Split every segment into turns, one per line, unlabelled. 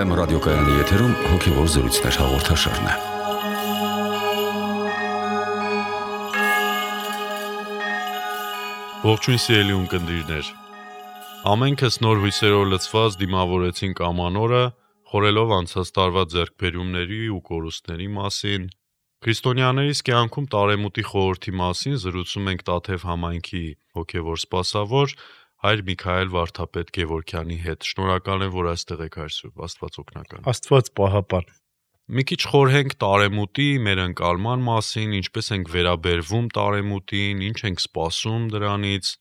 FM ռադիոկայանի եթերում հոգևոր զրույցներ հաղորդաշարն է։
Ողջույն սիրելի ունկնդիրներ։ Ամենքս նոր հույսերով լցված դիմավորեցինք ամանորը, խորելով անցած տարվա ձեռքբերումների ու կորուստների մասին։ Քրիստոնյաներիս կյանքում տարեմուտի խորհրդի մասին զրուցում ենք Տաթև համայնքի հոգևոր սպասավոր Հայր Միքայել Վարդապետ Գևորգյանի հետ։ Շնորհակալ եմ, որ այստեղ եք, Հայր Սուրբ, Աստված օգնական։
Աստված պահապան։
Մի քիչ խորհենք տարեմուտի մեր ընկալման մասին, ինչպես ենք վերաբերվում տարեմուտին, ինչ ենք սպասում դրանից։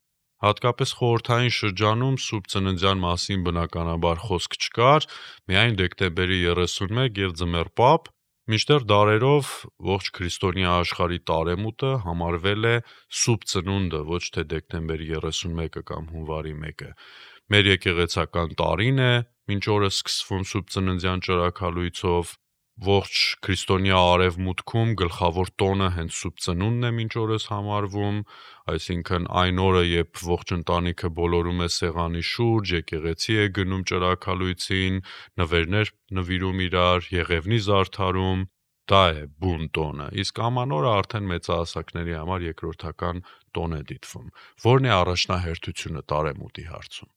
Հատկապես խորհրդային շրջանում Սուրբ Ծննդյան մասին բնականաբար խոսք չկար, միայն դեկտեմբերի 31 եւ ձմեռ պապ, մինչդեռ դարերով ողջ քրիստոնյա աշխարհի տարեմուտը համարվել է Սուրբ Ծնունդը, ոչ թե դեկտեմբերի 31-ը կամ հունվարի 1-ը։ Մեր եկեղեցական տարին է մինչ օրս սկսվում Սուրբ Ծննդյան ճրագալույցով, ողջ քրիստոնյա արևմուտքում գլխավոր տոնը հենց Սուրբ Ծնունդն է մինչ օրս համարվում, այսինքն այն օրը, երբ ողջ ընտանիքը բոլորում է սեղանի շուրջ, եկեղեցի է գնում ճրագալույցին, նվերներ նվիրում իրար, եղևնի զարդարում, դա է բուն տոնը, իսկ ամանորը արդեն մեծահասակների համար երկրորդական տոն է դիտվում։ Որն է առաջնահերթությունը տարեմուտի հարցում։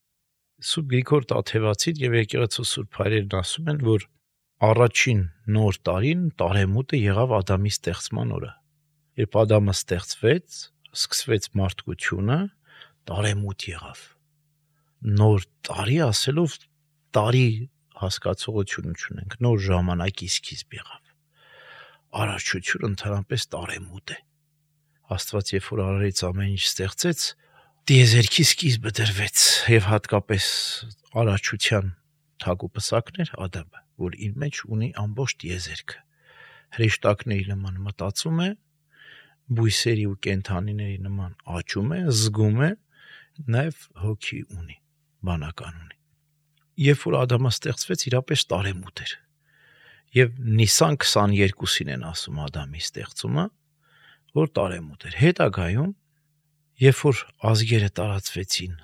Սուրբ Գրիգոր Տաթևացին եւ եկեղեցու Սուրբ Հայրերն ասում են, որ առաջին նոր տարին տարեմուտը եղավ Ադամի ստեղծման օրը։ Երբ Ադամը ստեղծվեց, սկսվեց մարդկությունը, տարեմուտ եղավ։ Նոր տարի ասելով տարի հասկացողություն չունենք, նոր ժամանակի սկիզբ եղավ։ Արարչությունը ընդհանրապես տարեմուտ է։ Աստված երբ որ արարեց ամեն ինչ ստեղծեց, տիեզերքի սկիզբը դրվեց եւ հատկապես արարչության թագուպսակներ Ադամը, որ իր մեջ ունի ամբողջ տիեզերքը։ Հրեշտակների նման մտածում է, բույսերի ու կենդանիների նման աճում է, զգում է, նաեւ հոգի ունի, բանական ունի։ Երբ որ Ադամը ստեղծվեց, իրապես տարեմուտ էր։ Եվ Նիսան 22-ին են ասում Ադամի ստեղծումը, որ տարեմուտ էր։ Հետագայում, երբ որ ազգերը տարածվեցին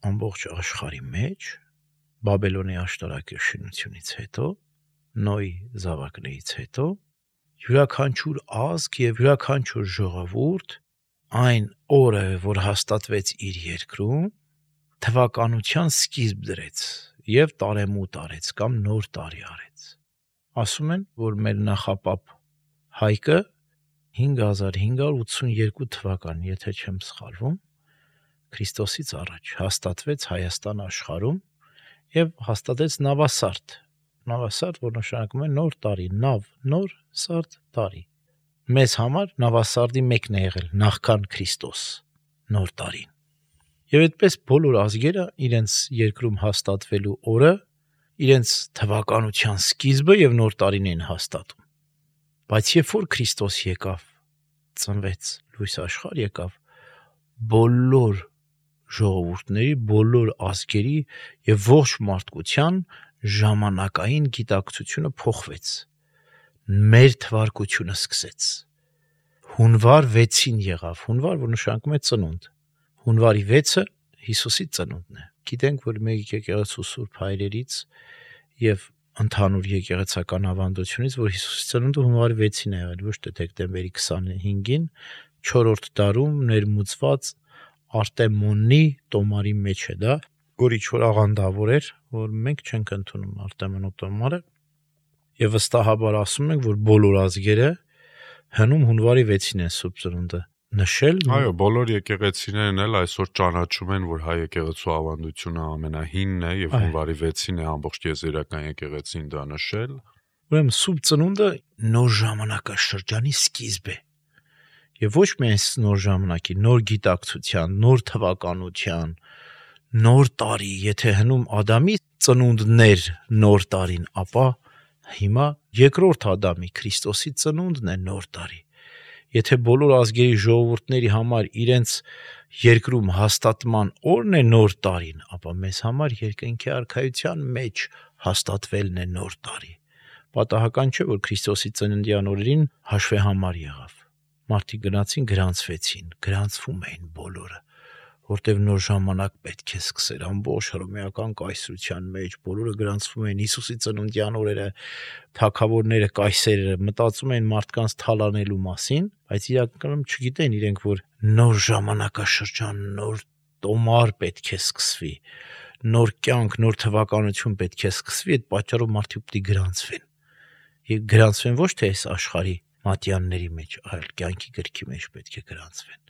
ամբողջ աշխարհի մեջ, Բաբելոնի աշտարակի շինությունից հետո, Նոյի զավակներից հետո, յուրաքանչյուր ազգ եւ յուրաքանչյուր ժողովուրդ այն օրը, որ հաստատվեց իր երկրում, թվականության սկիզբ դրեց եւ տարեմուտ արեց կամ նոր տարի արեց։ Ասում են, որ մեր նախապապ Հայկը 5582 թվական, եթե չեմ սխալվում, Քրիստոսից առաջ հաստատվեց Հայաստան աշխարհում եւ հաստատեց Նավասարդ, որ նշանակում է նոր տարի, նավ, նոր, սարդ, տարի։ Մեզ համար Նավասարդի մեկն է եղել նախքան Քրիստոս, նոր տարին։ Եվ այդպես բոլոր ազգերը իրենց երկրում հաստատվելու օրը, իրենց թվականության սկիզբը եւ նոր տարին են հաստատում։ Բայց երբ որ Քրիստոս եկավ, ծնվեց, լույս աշխարհ եկավ, բոլոր ժողովուրդների, բոլոր ազգերի եւ ողջ մարդկության ժամանակային գիտակցությունը փոխվեց։ Մեր թվարկությունը սկսեց։ Հունվար 6-ին եղավ, հունվար, որ նշանակում է ծնունդ։ Հունվարի 6-ը Հիսուսի ծնունդն է։ Գիտենք, որ մեր եկեղեցու Սուրբ Հայրերից եւ ընդհանուր եկեղեցական ավանդությունից, որ Հիսուսի ծնունդը հունվարի 6-ին է եղել, ոչ թե դեկտեմբերի 25-ին, 4-րդ դարում ներմուծված Արտեմոնի տոմարի մեջ է դա, որ ինչ-որ աղանդավոր էր, որ մենք չենք ընդունում Արտեմոնո տոմարը, եւ վստահաբար ասում ենք, որ բոլոր ազգերը հնում հունվարի 6-ին են Սուրբ Ծնունդը նշել։
Այո, բոլոր եկեղեցիներն էլ այսօր ճանաչում են, որ հայ եկեղեցու ավանդությունը ամենահինն է եւ հունվարի 6-ին է ամբողջ եզերական եկեղեցին դա նշել։
Ուրեմն Սուրբ Ծնունդը նոր ժամանակաշրջանի սկիզբ է։ Եվ ոչ միայն նոր ժամանակի, նոր գիտակցության, նոր թվականության, նոր տարի, եթե հնում Ադամի ծնունդն էր նոր տարին, ապա հիմա երկրորդ Ադամի Քրիստոսի ծնունդն է նոր տարի։ Եթե բոլոր ազգերի ժողովուրդների համար իրենց երկրում հաստատման օրն է նոր տարին, ապա մեզ համար երկնքի արքայության մեջ հաստատվելն է նոր տարի։ Պատահական չէ, որ Քրիստոսի ծննդյան օրերին հաշվեհամար եղավ։ Մարդիկ գնացին գրանցվեցին, գրանցվում էին բոլորը, որտեվ նոր ժամանակ պետք է սկսեր ամբողջ հռոմեական կայսրության մեջ, բոլորը գրանցվում են Հիսուսի ծնունդյան օրերը, թագավորները, կայսերները մտածում են մարդկանց թալանելու մասին, բայց իրականում չգիտեն իրենք, որ նոր ժամանակաշրջան, նոր տոմար պետք է սկսվի, նոր կյանք, նոր թվականություն պետք է սկսվի, այդ պատճառով մարդիկ պետք է գրանցվեն։ Եվ գրանցվեն ոչ թե այս աշխարհի մատյանների մեջ, այլ կյանքի գրքի մեջ պետք է գրանցվեն։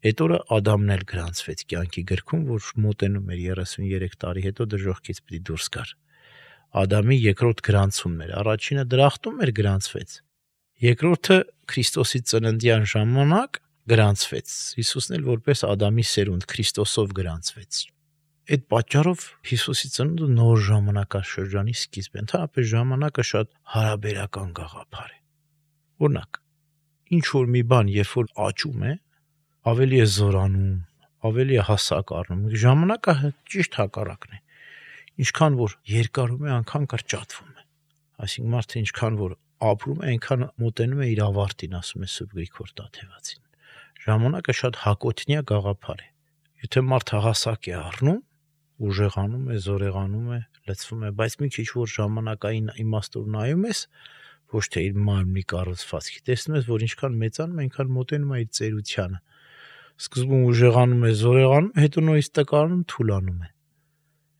Այդ օրը Ադամն էլ գրանցվեց կյանքի գրքում, որ մոտենում էր 33 տարի հետո դժոխքից պիտի դուրս գար։ Ադամի երկրորդ գրանցումն էր, առաջինը դրախտում էր գրանցվեց, երկրորդը Քրիստոսի ծննդյան ժամանակ գրանցվեց։ Հիսուսն էլ որպես Ադամի սերունդ Քրիստոսով գրանցվեց։ Այդ պատճառով Հիսուսի ծնունդը նոր ժամանակաշրջանի սկիզբ է։ Ընդհանրապես ժամանակը շատ հարաբերական գաղափար է։ Օրինակ, ինչ որ մի բան, երբ որ աճում է, ավելի է զորանում, ավելի է հասակ առնում։ Ժամանակը ճիշտ հակառակն է։ Ինչքան որ երկարում է, այնքան կրճատվում է։ Այսինքն մարդը ինչքան որ ապրում է, այնքան մոտենում է իր ավարտին, ասում է Սուրբ Գրիգոր Տաթևացին։ Ժամանակը շատ հակոտնյա գաղափար է։ Եթե մարդը հասակ է առնում, ուժեղանում է, զորեղանում է, լցվում է, բայց մի քիչ որ ժամանակային իմաստով նայում ես, ոչ թե իր մարմնի կառուցվածքի, տեսնում ես, որ ինչքան մեծանում է, այնքան մոտենում է իր ծերությանը։ Սկզբում ուժեղանում է, զորեղանում, հետո նույնիսկ տկարանում, թուլանում է։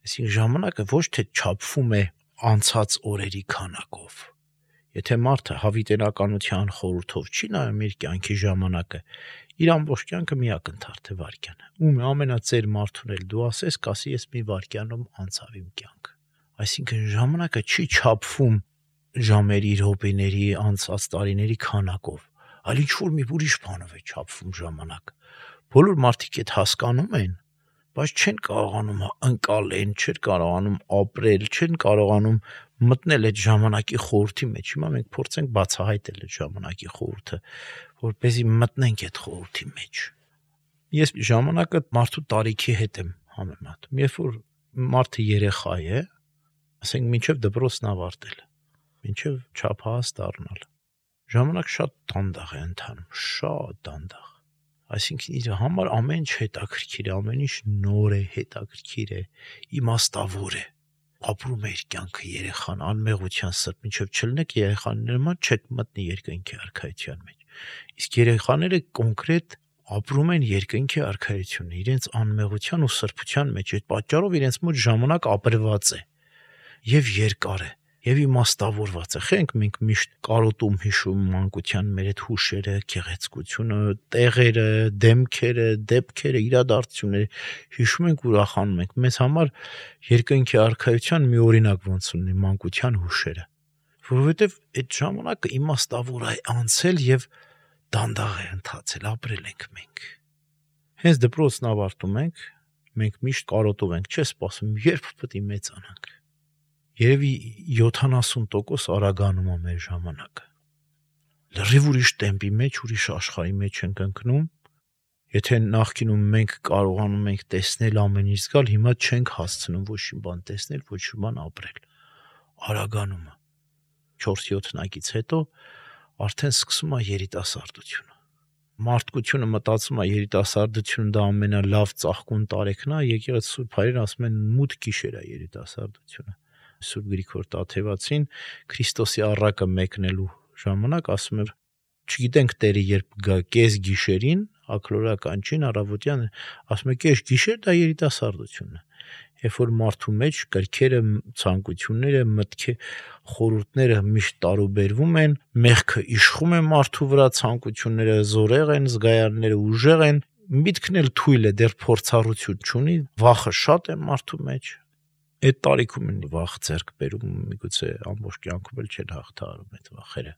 Այսինքն ժամանակը ոչ թե չափվում է անցած օրերի քանակով։ Եթե մարդը հավիտենականության խորհրդով չի նայում իր կյանքի ժամանակը, իր ամբողջ կյանքը մի ակնթարթ է վայրկյան։ Ում ամենածեր մարդուն էլ դու ասես, կասի ես մի վայրկյանում անցավ իմ կյանքը։ Այսինքն ժամանակը չի չափվում ժամերի, րոպեների, անցած տարիների քանակով, այլ ինչ որ մի ուրիշ բանով է չափվում ժամանակը։ Բոլոր մարդիկ այդ հասկանում են, բայց չեն կարողանում ընկալեն, չեն կարողանում ապրել, չեն կարողանում մտնել այդ ժամանակի խորհրդի մեջ։ Հիմա մենք փորձենք բացահայտել այդ ժամանակի խորհուրդը, որպեսզի մտնենք այդ խորհրդի մեջ։ Ես ժամանակը մարդու տարիքի հետ եմ համեմատում։ Երբ որ մարդը երեխա է, ասենք մինչև դպրոցն ավարտել, մինչև չափահաս դառնալ, ժամանակ շատ դանդաղ է ընթանում, շատ դանդաղ։ Այսինքն իր համար ամեն ինչ հետաքրքիր է, ամեն ինչ նոր է, հետաքրքիր է, իմաստավոր է։ Ապրում է իր կյանքը երեխան, անմեղության սրտ, մինչև չլինեք երեխաների նման չեք մտնի երկնքի արքայության մեջ։ Իսկ երեխաները կոնկրետ ապրում են երկնքի արքայությունը, իրենց անմեղության ու սրբության մեջ։ Այդ պատճառով իրենց մոտ ժամանակ ապրված է եւ երկար է եւ իմաստավորված է։ Խենք մենք միշտ կարոտում հիշում մանկության մեր այդ հուշերը, գեղեցկությունը, տեղերը, դեմքերը, դեպքերը, իրադարձությունները հիշում ենք, ուրախանում ենք։ Մեզ համար երկնքի արքայության մի օրինակ ոնց ունի մանկության հուշերը, որովհետեւ այդ ժամանակը իմաստավոր է անցել եւ դանդաղ է ընթացել, ապրել ենք մենք։ Հենց դպրոցն ավարտում ենք, մենք միշտ կարոտով ենք, չէ՞ սպասում, երբ պետք է մեծանանք։ Երևի 70% արագանում է մեր ժամանակը։ Լրիվ ուրիշ տեմպի մեջ, ուրիշ աշխարհի մեջ ենք ընկնում։ Եթե նախկինում մենք կարողանում ենք տեսնել ամեն ինչ զգալ, հիմա չենք հասցնում ոչ մի բան տեսնել, ոչ մի բան ապրել։ Արագանում է։ 4-7 տնագից հետո արդեն սկսում է երիտասարդությունը։ Մարդկությունը մտածում է երիտասարդությունը դա ամենալավ ծաղկուն տարեքն է, եկեղեցու Սուրբ Հայրն ասում են մութ գիշեր է երիտասարդությունը։ Սուրբ Գրիգոր Տաթևացին Քրիստոսի առակը մեկնելու ժամանակ ասում է, չգիտենք Տերը երբ գա կես գիշերին, ակլորական չին առավոտյան, ասում է կես գիշեր դա երիտասարդությունն է։ Երբ որ մարդու մեջ կրքերը, ցանկությունները, մտքի խորհուրդները միշտ տարուբերվում են, մեղքը իշխում է մարդու վրա, ցանկությունները զորեղ են, զգայանները ուժեղ են, միտքն էլ թույլ է, դեռ փորձառություն չունի, վախը շատ է մարդու մեջ։ Այդ տարիքում են վախ ձեռք բերում, միգուցե ամբողջ կյանքում էլ չեն հաղթահարում այդ վախերը։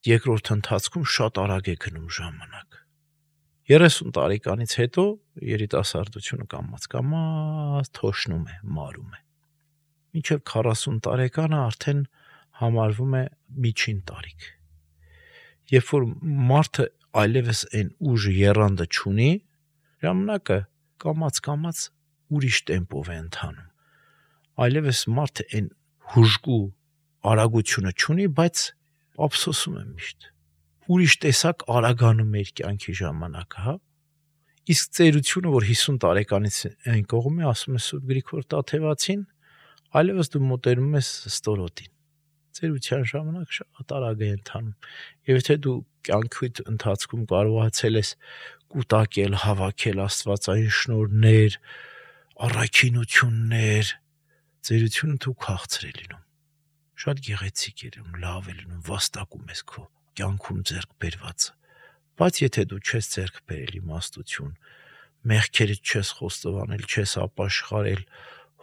Երկրորդ ընթացքում շատ արագ է գնում ժամանակ։ 30 տարեկանից հետո երիտասարդությունը կամաց թոշնում է, մարում է։ Մինչև 40 տարեկանը արդեն համարվում է միջին տարիք։ Երբ որ մարդը այլևս այն ուժը եռանդը չունի, ժամանակը կամաց ուրիշ տեմպով է ընթանում։ Այլևս մարդը այն հուժկու արագությունը չունի, բայց ափսոսում է միշտ։ Ուրիշ տեսակ արագանում է իր կյանքի ժամանակը, հա։ Իսկ ծերությունը, որ 50 տարեկանից այն կողմ է, ասում է Սուրբ Գրիգոր Տաթևացին, այլևս դու մոտենում ես ստորոտին։ Ծերության ժամանակ շատ արագ է ընթանում։ Եվ եթե դու կյանքիդ ընթացքում կարողացել ես կուտակել, հավաքել աստվածային շնորհներ, առաքինություններ, ծերությունը դու քաղցր է լինում։ Շատ գեղեցիկ է լինում, լավ է լինում, վաստակում ես քո կյանքում ձեռք բերվածը։ Բայց եթե դու չես ձեռք բերել իմաստություն, մեղքերդ չես խոստովանել, չես ապաշխարել,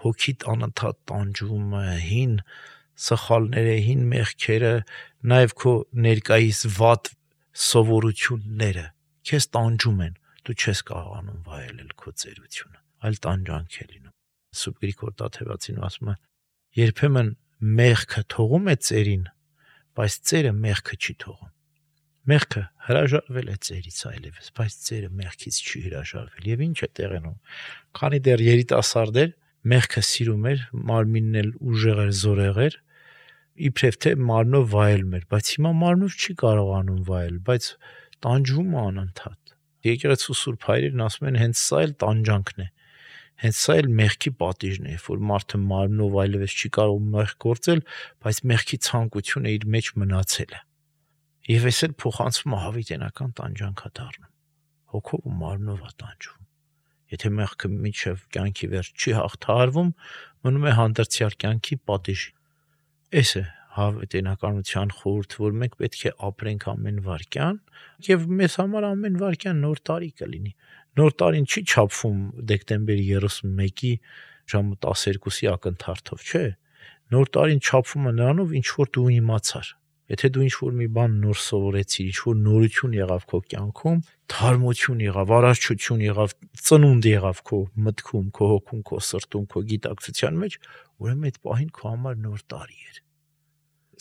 հոգիդ անընդհատ տանջում է, հին սխալները, հին մեղքերը, նաև քո ներկայիս վատ սովորությունները քեզ տանջում են, դու չես կարողանում վայելել քո ծերությունը, այլ տանջանք է լինում։ Սուրբ Գրիգոր Տաթևացին ասում է, երբեմն մեղքը թողում է ծերին, բայց ծերը մեղքը չի թողում։ Մեղքը հրաժարվել է ծերից այլևս, բայց ծերը մեղքից չի հրաժարվել։ Եվ ինչ է տեղենում։ Քանի դեռ երիտասարդ էր, մեղքը սիրում էր, մարմինն էլ ուժեղ էր, զորեղ էր, իբրև թե մարմնով վայելում էր, բայց հիմա մարմնով չի կարողանում վայել, բայց տանջվում է անընդհատ։ Եկեղեցու Սուրբ Հայրերն ասում են, հենց սա էլ տանջանքն է։ Հենց սա էլ մեղքի պատիժն է, որ մարդը մարմնով այլևս չի կարող մեղք գործել, բայց մեղքի ցանկությունը իր մեջ մնացել է։ Եվ այս էլ փոխանցվում է հավիտենական տանջանքա դառնում։ Հոգով ու մարմնով է տանջվում։ Եթե մեղքը միջև կյանքի վերջ չի հաղթահարվում, մնում է հանդերձյալ կյանքի պատիժ։ Այս է հավիտենականության խորհուրդ, որ մենք պետք է ապրենք ամեն վարքյան, եւ մեզ համար ամեն վարքյան նոր տարի կլինի։ Նոր տարին չի չափվում դեկտեմբերի 31-ի ժամը 12-ի ակնթարթով, չէ։ Նոր տարին չափվում է նրանով, ինչ որ դու իմացար։ Եթե դու ինչ որ մի բան նոր սովորեցիր, ինչ որ նորություն եղավ քո կյանքում, թարմություն եղավ, արարչություն եղավ, ծնունդ եղավ քո մտքում, քո հոգում, քո սրտում, քո գիտակցության մեջ, ուրեմն այդ պահին քո համար նոր տարի էր։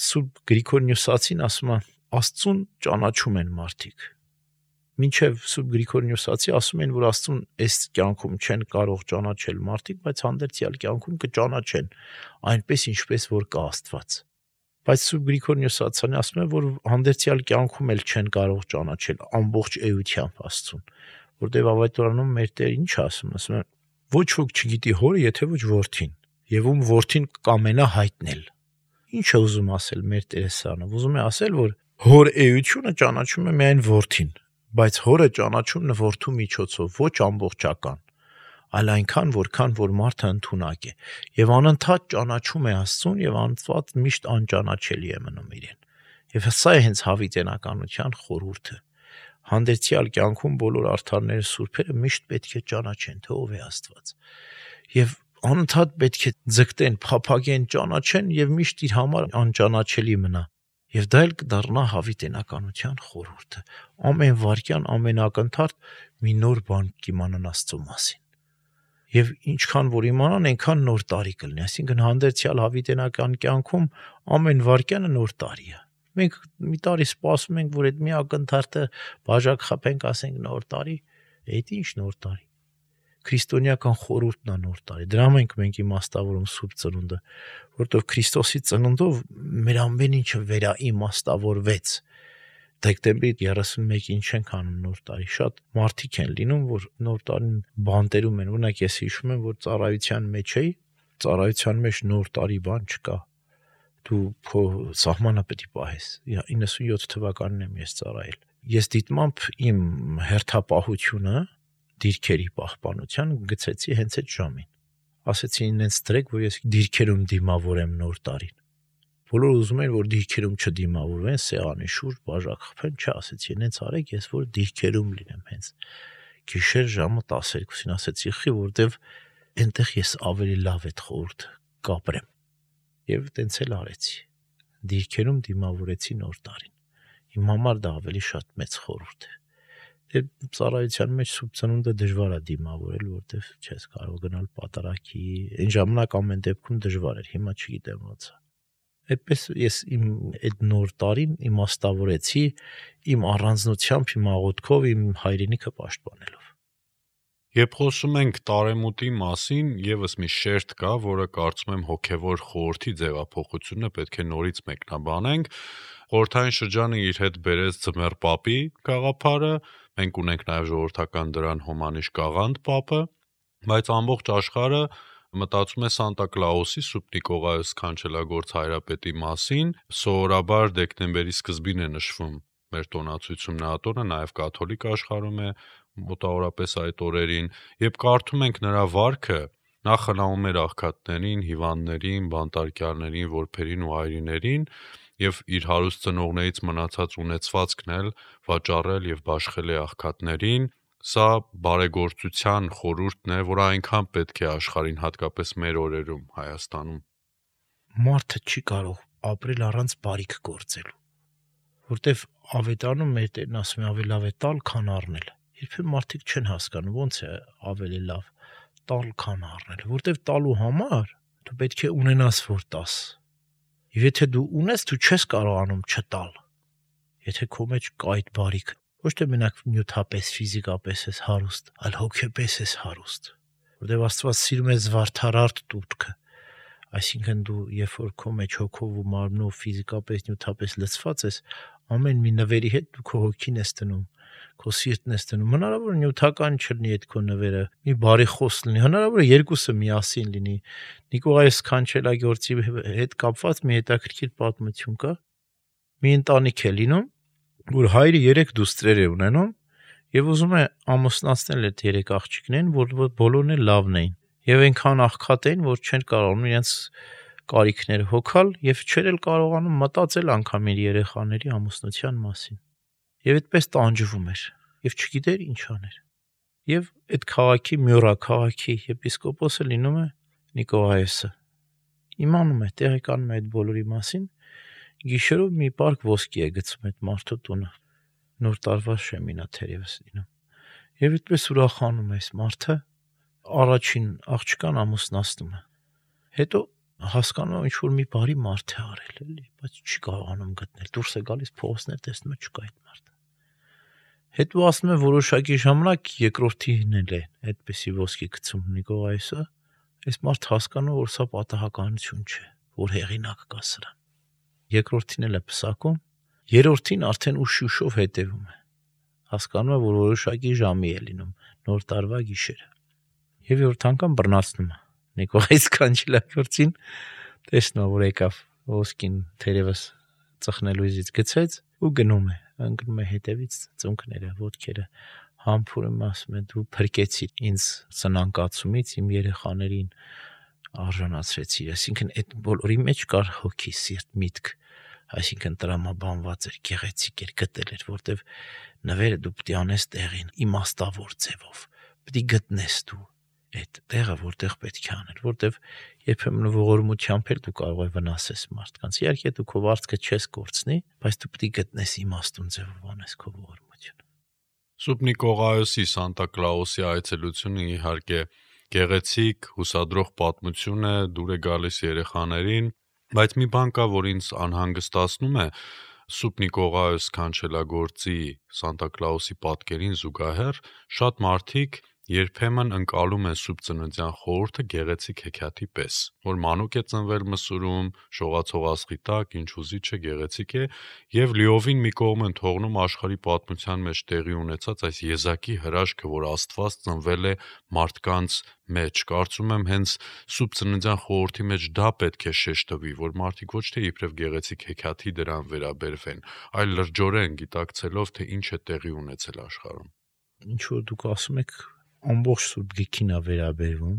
Սուրբ Գրիգոր Նյուսացին ասում է, Աստծուն ճանաչում են մարդիկ։ Մինչև Սուրբ Գրիգոր Նյուսացի ասում են, որ Աստծուն այս կյանքում չեն կարող ճանաչել մարդիկ, բայց հանդերձյալ կյանքում կճանաչեն, այնպես ինչպես որ կա Աստված։ Բայց Սուրբ Գրիգոր Նյուսացյանը ասում է, որ հանդերձյալ կյանքում էլ չեն կարող ճանաչել ամբողջ էությամբ Աստծուն, որտեղ ավետարանում մեր Տերը ինչ ասում է, ոչ ոք չգիտի Հորը, եթե ոչ Որդին, եւ ում Որդին կամենա հայտնել։ Ինչ է ուզում ասել մեր Տերը սանը։ Ուզում է ասել, որ Հոր էությունը ճանաչում է միայն Որդին, բայց Հորը ճանաչում է Որդու միջոցով, ոչ ամբողջական, այլ այնքան, որքան որ մարդը ընդունակ է, եւ անընդհատ ճանաչում է Աստծուն եւ անընդհատ միշտ անճանաչելի է մնում իրեն։ Եվ սա է հենց հավիտենականության խորհուրդը։ Հանդերձյալ կյանքում բոլոր արդարները սուրբերը միշտ պետք է ճանաչեն, թե ով է Աստված։ Եվ անընդհատ պետք է ձգտեն, փափագեն, ճանաչեն եւ միշտ իր համար անճանաչելի մնա։ Եվ դա էլ կդառնա հավիտենականության խորհուրդը։ Ամեն վարքյան, ամեն ակնթարթ մի նոր բան կիմանան Աստծո մասին։ Եվ ինչքան որ իմանան, այնքան նոր տարի կլինի։ Այսինքն հանդերձյալ հավիտենական կյանքում ամեն վարքյանը նոր տարի է։ Մենք մի տարի սպասում ենք, որ այդ մի ակնթարթը բաժակ խփենք, ասենք նոր տարի, այդ ինչ նոր տարի։ Քրիստոնեական խորհուրդն է նոր տարի։ Դրա մենք իմաստավորում Սուրբ Ծնունդը, որտեղ Քրիստոսի ծնունդով մեր ամեն ինչը վերաիմաստավորվեց։ Դեկտեմբերի 31-ին չենք անում նոր տարի։ Շատ մարդիկ են լինում, որ նոր տարին բանտերում են։ Օրինակ ես հիշում եմ, որ ծառայության մեջ էի, ծառայության մեջ նոր տարի բան չկա։ Դու քո սահմանը պետք է պահես։ 97 թվականին եմ ես ծառայել։ Ես դիտմամբ իմ հերթապահությունը դիրքերի պահպանության գցեցի հենց այդ ժամին։ Ասեցի ինձ դրեք, որ ես դիրքերում դիմավորեմ նոր տարին։ Բոլորը ուզում են, որ դիրքերում չդիմավորվեն, սեղանի շուրջ բաժակ խփեն, չասեցի, հենց արեք, ես որ դիրքերում լինեմ հենց։ Գիշեր ժամը 12-ին ասեցի, խի, որտեվ այնտեղ ես ավելի լավ այդ խորհուրդը կապրեմ։ Եվ տենց էլ արեցի։ Դիրքերում դիմավորեցի նոր տարին։ Իմ համար դա ավելի շատ մեծ խորհուրդ է։ Դե ծառայության մեջ Սուրբ Ծնունդը դժվար է դիմավորել, որտեվ չես կարող գնալ պատարակի։ Այն ժամանակ ամեն դեպքում դժվար էր, հիմա չգիտեմ ոնց է։ Այդպես ես իմ այդ նոր տարին իմաստավորեցի իմ առանձնությամբ, իմ աղոթքով, իմ հայրենիքը պաշտպանելով։
Երբ խոսում ենք տարեմուտի մասին, եւս մի շերտ կա, որը կարծում եմ հոգեվոր խորհրդի ձևափոխությունը պետք է նորից մեկնաբանենք։ Խորհրդային շրջանը իր հետ բերեց Ձմեռ Պապի գաղափարը, մենք ունենք նաև ժողովրդական դրան հոմանիշ Կաղանդ Պապը, բայց ամբողջ աշխարհը մտածում է Սանտա Կլաուսի Սուրբ Նիկողայոս Քանչելագործ Հայրապետի մասին, սովորաբար դեկտեմբերի սկզբին է նշվում մեր տոնացույցում նա տոնը, նաև կաթոլիկ աշխարհում է մոտավորապես այդ օրերին, եւ կարդում ենք նրա վարքը, նա խնամում էր աղքատներին, հիվանդներին, բանտարկյալներին, որբերին ու այրիներին եւ իր հարուստ ծնողներից մնացած ունեցվածքն էլ վաճառել եւ բաշխել է աղքատներին։ Սա բարեգործության խորհուրդն է, որը այնքան պետք է աշխարհին, հատկապես մեր օրերում Հայաստանում։
Մարդը չի կարող ապրել առանց բարիք գործելու, որտեվ ավետարանում մեր Տերն ասում է ավելի լավ է տալ, քան առնել։ Երբեմն մարդիկ չեն հասկանում ոնց է ավելի լավ տալ, քան առնել, որտեվ տալու համար դու պետք է ունենաս որ տաս։ Եվ եթե դու ունես, դու չես կարողանում չտալ։ Եթե քո մեջ կա այդ բարիքը, ոչ թե մենակ նյութապես, ֆիզիկապես ես հարուստ, այլ հոգեպես ես հարուստ, որտեվ Աստված սիրում է զվարթարարտ տուրքը, այսինքն դու երբ որ քո մեջ հոգով ու մարմնով ֆիզիկապես, նյութապես լցված ես, ամեն մի նվերի հետ դու քո հոգին ես դնում, քո սիրտն ես դնում, հնարավոր է նյութական չլինի այդ քո նվերը, մի բարի խոս լինի, հնարավոր է երկուսը միասին լինի։ Նիկողայոս Քանչելագործի հետ կապված մի հետաքրքիր պատմություն կա։ Մի ընտանիք է լինում, որ հայրը 3 դուստրեր է ունենում եւ ուզում է ամուսնացնել այդ 3 աղջիկներին, որ բոլորն էլ լավն էին եւ այնքան աղքատ էին, որ չեն կարողանում իրենց կարիքները հոգալ եւ չեր էլ կարողանում մտածել անգամ իր երեխաների ամուսնության մասին։ Եվ այդպես տանջվում էր եւ չգիտեր ինչ աներ։ Եվ այդ քաղաքի Մյորա քաղաքի եպիսկոպոսը լինում է Նիկողայոսը։ Իմանում է, տեղեկանում է այդ բոլորի մասին, գիշերով մի պարկ ոսկի է գցում այդ մարդու տունը։ Նոր տարվա շեմինա թերևս լինում։ Եվ այդպես ուրախանում է այս մարդը, առաջին աղջկան ամուսնացնում է։ Հետո հասկանում է ինչ որ մի բարի մարդ է արել, էլի, բայց չի կարողանում գտնել։ Դուրս է գալիս փողոցներ, տեսնում է չկա այդ մարդը։ Հետո ասում է որոշակի ժամանակ երկրորդին էլ է այդպեսի ոսկի գցում Նիկողայոսը, այս մարդ հասկանում որ սա պատահականություն չէ, որ հեղինակ կա սրան։ Երկրորդին էլ է պսակում, երրորդին արդեն ուշ-ուշով հետևում է։ Հասկանում է որ որոշակի ժամի է լինում, նոր տարվա գիշերը։ Եվ երրորդ անգամ բռնացնում է Նիկողայոս Քանչելագործին, տեսնում որ եկավ ոսկին թերևս ծխնելույզից գցեց ու գնում է, ընկնում է հետևից ծունկները, ոտքերը համբուրում, ասում է դու փրկեցիր ինձ սնանկացումից, իմ երեխաներին արժանացրեցիր, այսինքն այդ բոլորի մեջ կար հոգի, սիրտ, միտք, այսինքն տրամաբանված էր, գեղեցիկ էր, գտել էր, որտեվ նվերը դու պետք է անես տեղին, իմաստավոր ձևով, պետք է գտնես դու այդ տեղը, որտեղ պետք է անել, որտեվ երբեմն ողորմությամբ էլ դու կարող ես վնասես մարդկանց։ Իհարկե դու քո վարձքը չես կորցնի, բայց դու պետք է գտնես իմաստուն ձևով անես քո ողորմությունը։
Սուրբ Նիկողայոսի Սանտա Կլաուսի այցելությունը իհարկե գեղեցիկ, հուսադրող պատմություն է, դուր է գալիս երեխաներին, բայց մի բան կա, որ ինձ անհանգստացնում է Սուրբ Նիկողայոս Քանչելագործի Սանտա Կլաուսի պատկերին զուգահեռ շատ մարդիկ երբեմն ընկալում են Սուրբ Ծննդյան խորհուրդը գեղեցիկ հեքիաթի պես, որ մանուկ է ծնվել մսուրում, շողացող աստղի տակ, ինչ ուզիչ է, գեղեցիկ է, եւ լիովին մի կողմ են թողնում աշխարհի պատմության մեջ տեղի ունեցած այս եզակի հրաշքը, որ Աստված ծնվել է մարդկանց մեջ։ Կարծում եմ հենց Սուրբ Ծննդյան խորհրդի մեջ դա պետք է շեշտվի, որ մարդիկ ոչ թե իբրև գեղեցիկ հեքիաթի դրան վերաբերվեն, այլ լրջորեն գիտակցելով, թե ինչ է տեղի ունեցել աշխարհում։
Ինչ որ դուք ասում եք, ամբողջ Սուրբ Գիրքին է վերաբերվում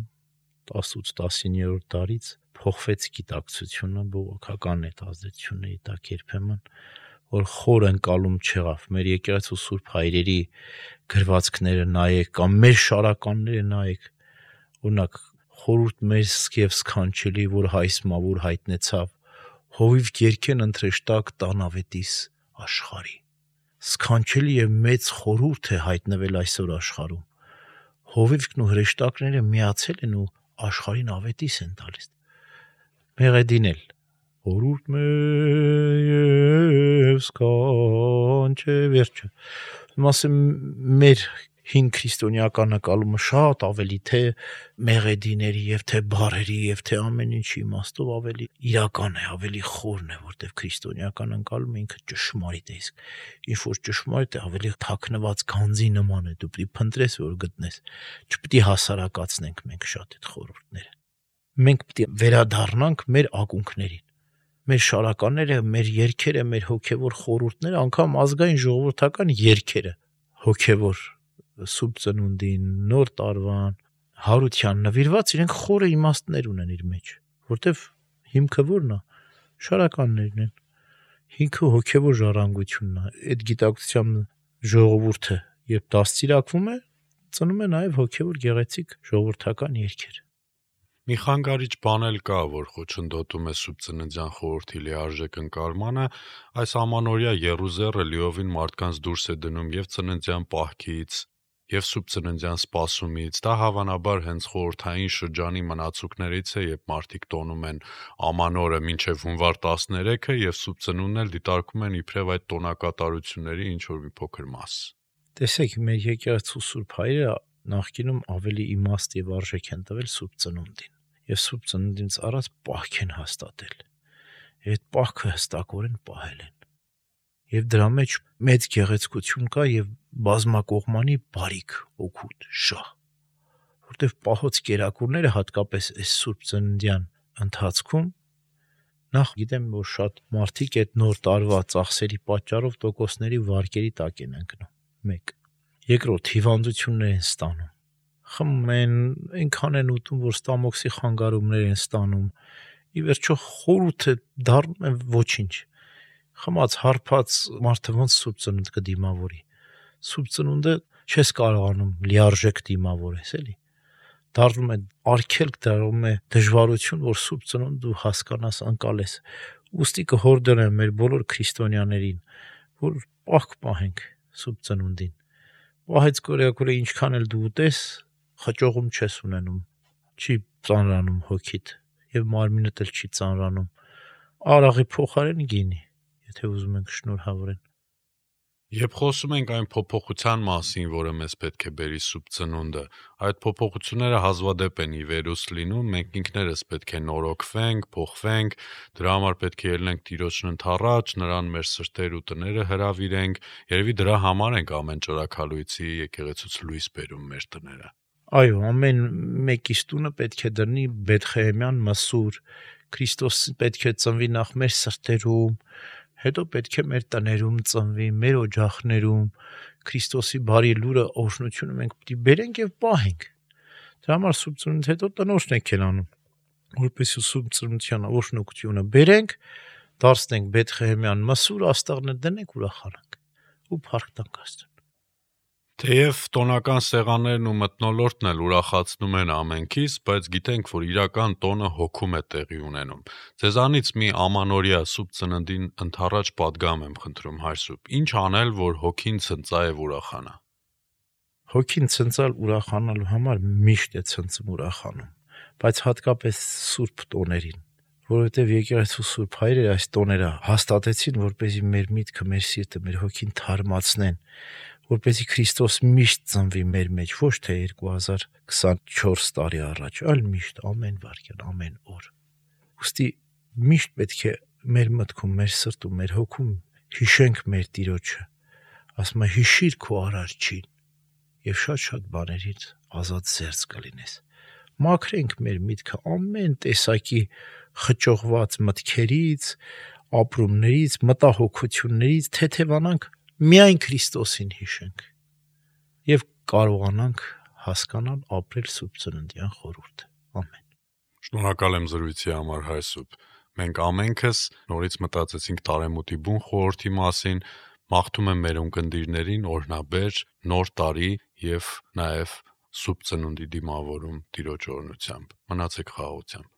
18-19-րդ դարից փոխվեց գիտակցությունը, բողոքական այդ ազդեցությունների տակ երբեմն, որ խոր ընկալում չեղավ։ Մեր եկեղեցու Սուրբ հայրերի գրվածքները նայեք, կամ մեր շարականները նայեք, օրինակ խորհուրդ մեծ եւ սքանչելի, որ հայսմավոր հայտնեցավ, հովիվ գերքեն ընտրեշտակ տանավետիս աշխարհի։ Սքանչելի եւ մեծ խորհուրդ է հայտնվել այսօր աշխարհում։ Հովիվքն ու հրեշտակները միացել են ու աշխարհին ավետիս են տալիս։ Մեղեդին էլ խորհուրդ մեծ սքանչե վերջը։ Մասը մեր հին քրիստոնեական նկատումը շատ ավելի թե մեղեդիների եւ թե բարերի եւ թե ամեն ինչի իմաստով ավելի իրական է, ավելի խորն է, որտեվ քրիստոնեական ընկալումը ինքը ճշմարիտ է, իսկ ինչ որ ճշմարիտ է, ավելի թաքնված գանձի նման է, դու պետք է փնտրես, որ գտնես, չպետք է հասարակացնենք մենք շատ այդ խորհուրդները։ Մենք պետք է վերադառնանք մեր ակունքներին, մեր շարականները, մեր երգերը, մեր հոգևոր խորհուրդները, անգամ ազգային ժողովրդական երգերը, հոգևոր սուրբ ծնունդին, նոր տարվան, հարության նվիրված, իրենք խորը իմաստներ ունեն իր մեջ, որտեվ հիմքը որն է, շարականներն են, հիմքը հոգևոր ժառանգությունն է, այդ գիտակցության ժողովուրդը, երբ դաստիարակվում է, ծնում է նաև հոգևոր գեղեցիկ ժողովրդական երգեր։
Մի խանգարիչ բան էլ կա, որ խոչընդոտում է սուրբ ծննդյան խորհրդի լիարժեք ընկալմանը, այս ամանորյա եռուզեռը լիովին մարդկանց դուրս է դնում եւ ծննդյան պահքից, եւ սուրբ ծննդյան սպասումից, դա հավանաբար հենց խորհրդային շրջանի մնացուկներից է, երբ մարդիկ տոնում են ամանորը մինչեւ հունվար 13-ը եւ սուրբ ծնունդն էլ դիտարկում են իբրև այդ տոնակատարությունների ինչ որ մի փոքր մաս։
Տեսեք, մեր եկեղեցու սուրբ հայրը նախկինում ավելի իմաստ եւ արժեք են տվել սուրբ ծնունդին եւ սուրբ ծնունդից առաջ պահք են հաստատել։ Այդ պահքը հստակորեն պահել են։ Եվ դրա մեջ մեծ գեղեցկություն կա եւ բազմակողմանի բարիք, օգուտ, շահ, որտեվ պահոց կերակուրները հատկապես այս սուրբ ծննդյան ընթացքում նախ գիտեմ, որ շատ մարդիկ այդ նոր տարվա ծախսերի պատճառով տոկոսների վարկերի տակ են ընկնում, 1. Երկրորդ հիվանդություններ են ստանում, խմում են, այնքան են ուտում, որ ստամոքսի խանգարումներ են ստանում, ի վերջո խորհուրդը դառնում է ոչինչ, խմած, հարբած մարդը ոնց սուրբ ծնունդ կդիմավորի, սուրբ ծնունդը չես կարողանում լիարժեք դիմավորես, էլի, դառնում է արգելք, դառնում է դժվարություն, որ սուրբ ծնունդ դու հասկանաս, ընկալես, ուստի կհորդորեմ մեր բոլոր քրիստոնյաներին, որ պահք պահենք սուրբ ծնունդին, պահեց կորյակուրը ինչքան էլ դու ուտես, խճողում չես ունենում, չի ծանրանում հոգիդ եւ մարմինդ էլ չի ծանրանում, արաղի փոխարեն գինի, եթե ուզում ենք շնորհավորեն։
Երբ խոսում ենք այն փոփոխության մասին, որը մեզ պետք է բերի սուրբ ծնունդը, այդ փոփոխությունները հազվադեպ են ի վերուս լինում, մենք ինքներս պետք է նորոգվենք, փոխվենք, դրա համար պետք է ելնենք Տիրոջն ընդառաջ, նրան մեր սրտեր ու տները հրավիրենք, երևի դրա համար ենք ամեն ճրագալույցի եկեղեցուց լույս բերում մեր տները։
Այո, ամեն մեկիս տունը պետք է դրնի Բեթխեհեմյան մսուր, Քրիստոս պետք է ծնվի նախ մեր սրտերում, հետո պետք է մեր տներում ծնվի, մեր օջախներում, Քրիստոսի բարի լուրը, օրհնությունը մենք պետք է բերենք եւ պահենք։ Դրա համար սուրբ ծնունդից հետո տնօրեն եք անում, որպեսզի սուրբ ծննդյան օրհնությունը բերենք, դարձնենք Բեթխեհեմյան մսուր, աստղներ դնենք, ուրախանանք ու փառք տանք Աստծուն։
Թեև տոնական սեղաններն ու մթնոլորտն էլ ուրախացնում են ամենքից, բայց գիտենք, որ իրական տոնը հոգում է տեղի ունենում։ Ձեզանից մի ամանորյա սուրբ ծննդին ընդառաջ պատգամ եմ խնդրում, հայր սուրբ։ Ինչ անել, որ հոգին ցնծա եւ ուրախանա։
Հոգին ցնծալ ուրախանալու համար միշտ է ցնծում ուրախանում, բայց հատկապես սուրբ տոներին, որովհետեւ եկեղեցու սուրբ հայրերը այս տոները հաստատեցին, որպեսզի մեր միտքը, մեր սիրտը, մեր հոգին թարմացնեն, որպեսզի Քրիստոս միշտ ծնվի մեր մեջ, ոչ թե 2024 տարի առաջ, այլ միշտ ամեն վայրկյան, ամեն օր։ Ուստի միշտ պետք է մեր մտքում, մեր սրտում, մեր հոգում հիշենք մեր Տիրոջը, ասում է հիշիր քո արարչին եւ շատ բաներից ազատ զերծ կլինես։ Մաքրենք մեր միտքը ամեն տեսակի խճողված մտքերից, ապրումներից, մտահոգություններից, թեթևանանք միայն Քրիստոսին հիշենք եւ կարողանանք հասկանալ ապրել սուրբ ծննդյան խորհուրդը։ Ամեն։
Շնորհակալ եմ զրույցի համար, հայր սուրբ։ Մենք ամենքս նորից մտածեցինք տարեմուտի բուն խորհրդի մասին, մաղթում եմ մեր ունկնդիրներին օրհնաբեր, նոր տարի եւ նաեւ սուրբ ծնունդի դիմավորում Տիրոջ օրհնությամբ։ Մնացեք խաղաղությամբ։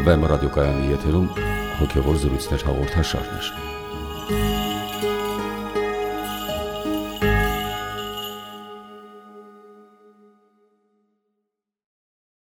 Վեմ ռադիոկայանի եթերում հոգևոր զրույցներ հաղորդաշարներ։